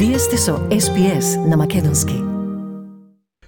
Вие сте со SPS на македонски.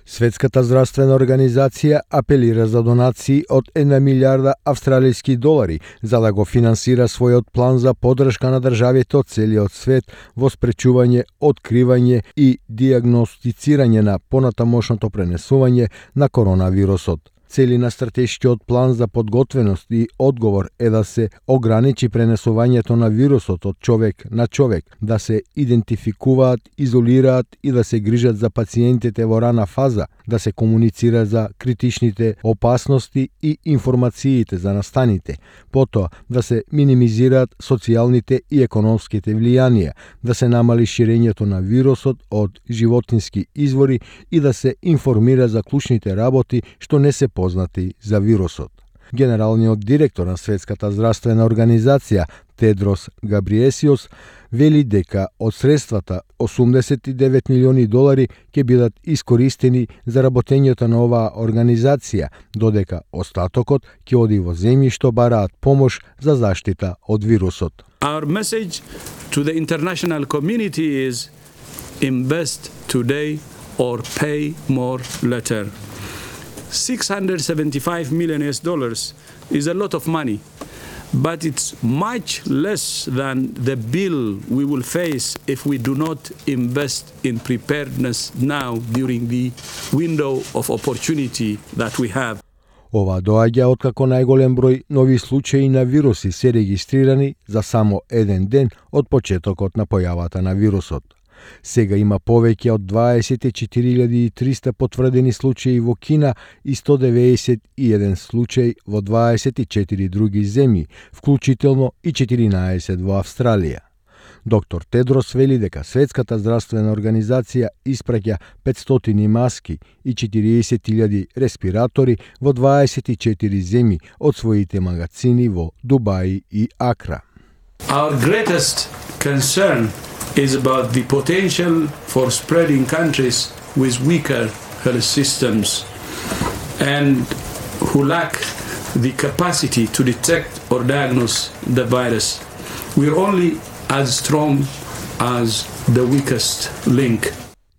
Светската здравствена организација апелира за донации од 1 милиарда австралиски долари за да го финансира својот план за поддршка на државите од целиот свет во спречување, откривање и дијагностицирање на понатамошното пренесување на коронавирусот. Цели на стратешкиот план за подготвеност и одговор е да се ограничи пренесувањето на вирусот од човек на човек, да се идентификуваат, изолираат и да се грижат за пациентите во рана фаза, да се комуницира за критичните опасности и информациите за настаните, потоа да се минимизираат социјалните и економските влијанија, да се намали ширењето на вирусот од животински извори и да се информира за клучните работи што не се познати за вирусот. Генералниот директор на Светската здравствена организација Тедрос Габриесиос вели дека од средствата 89 милиони долари ќе бидат искористени за работењето на оваа организација, додека остатокот ќе оди во земји што бараат помош за заштита од вирусот. Our message to the international community is invest today or pay more later. $675 million is a lot of money, but it's much less than the bill we will face if we do not invest in preparedness now during the window of opportunity that we have. Ова доаѓа откако најголем број нови случаи на вируси се регистрирани за само еден ден од почетокот на појавата на вирусот. Сега има повеќе од 24.300 потврдени случаи во Кина и 191 случај во 24 други земји, вклучително и 14 во Австралија. Доктор Тедрос вели дека Светската здравствена организација испраќа 500 маски и 40.000 респиратори во 24 земји од своите магазини во Дубај и Акра. Our greatest concern is about the potential for spreading countries with weaker health systems and who lack the capacity to detect or diagnose the virus. We're only as strong as the weakest link.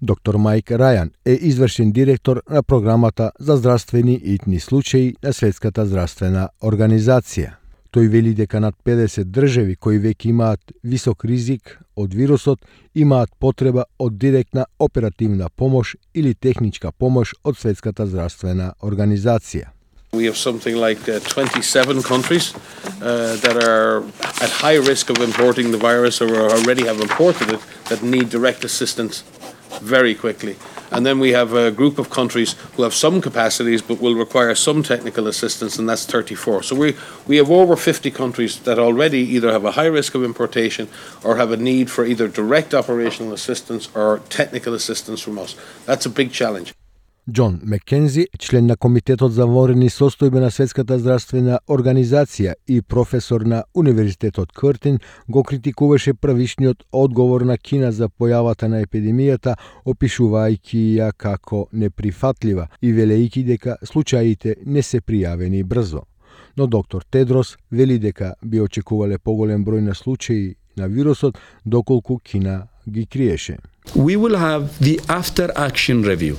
Доктор Майк Рајан е извршен директор на програмата за здравствени итни случаи на Светската здравствена организација. Тој вели дека над 50 држави кои веќе имаат висок ризик од вирусот имаат потреба од директна оперативна помош или техничка помош од Светската здравствена организација. We have something like 27 countries that are at high risk of importing the virus or already have imported it that need direct assistance very quickly. And then we have a group of countries who have some capacities but will require some technical assistance, and that's 34. So we have over 50 countries that already either have a high risk of importation or have a need for either direct operational assistance or technical assistance from us. That's a big challenge. Џон Маккензи, член на Комитетот за вонредни состојби на Светската здравствена организација и професор на Универзитетот Къртин, го критикуваше првишниот одговор на Кина за појавата на епидемијата, опишувајќи ја како неприфатлива и велејќи дека случаите не се пријавени брзо. Но доктор Тедрос вели дека би очекувале поголем број на случаи на вирусот доколку Кина ги криеше. We will have the after action review.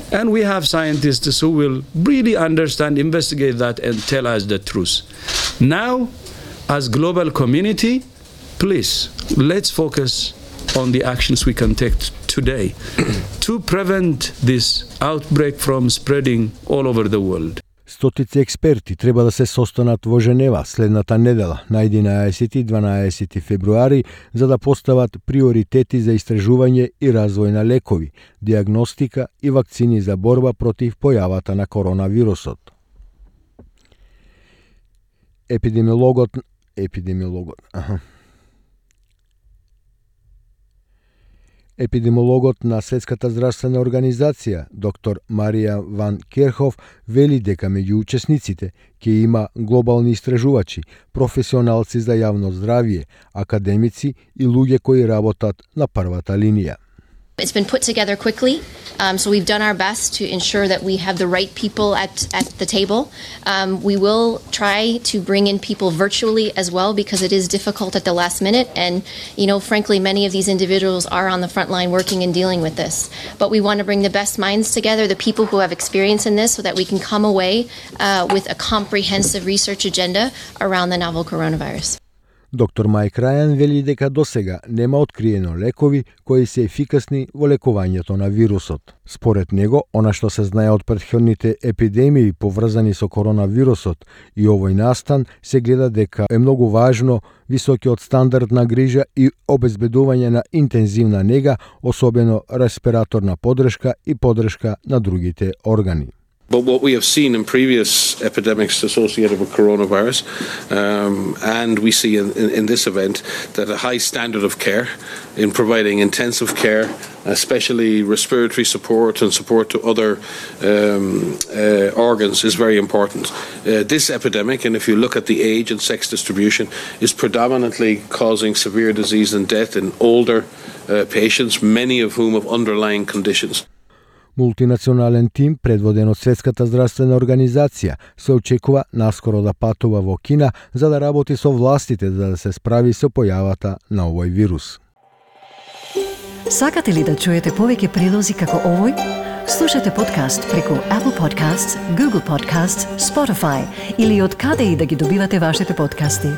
And we have scientists who will really understand, investigate that and tell us the truth. Now, as global community, please, let's focus on the actions we can take today to prevent this outbreak from spreading all over the world. Стотици експерти треба да се состанат во Женева следната недела на 11 и 12 февруари за да постават приоритети за истражување и развој на лекови, диагностика и вакцини за борба против појавата на коронавирусот. Епидемиологот на Светската здравствена организација, доктор Марија Ван Керхов, вели дека меѓу учесниците ќе има глобални истражувачи, професионалци за јавно здравје, академици и луѓе кои работат на првата линија. It's been put together quickly, so we've done our best to ensure that we have the right people at the table. We will try to bring in people virtually as well because it is difficult at the last minute, and frankly, many of these individuals are on the front line working and dealing with this. But we want to bring the best minds together, the people who have experience in this, so that we can come away with a comprehensive research agenda around the novel coronavirus. Доктор Майк Рајан вели дека досега нема откриено лекови кои се ефикасни во лекувањето на вирусот. Според него, она што се знае од претходните епидемии поврзани со коронавирусот и овој настан, се гледа дека е многу важно високиот стандард на грижа и обезбедување на интензивна нега, особено респираторна подршка и подршка на другите органи. But what we have seen in previous epidemics associated with coronavirus, and we see in this event, that a high standard of care in providing intensive care, especially respiratory support and support to other organs, is very important. This epidemic, and if you look at the age and sex distribution, is predominantly causing severe disease and death in older patients, many of whom have underlying conditions. Мултинационален тим, предводен од Светската здравствена организација, се очекува наскоро да патува во Кина за да работи со властите за да се справи со појавата на овој вирус. Сакате ли да чуете повеќе прилози како овој? Слушате подкаст преку Apple Podcasts, Google Podcasts, Spotify или од каде и да ги добивате вашите подкасти.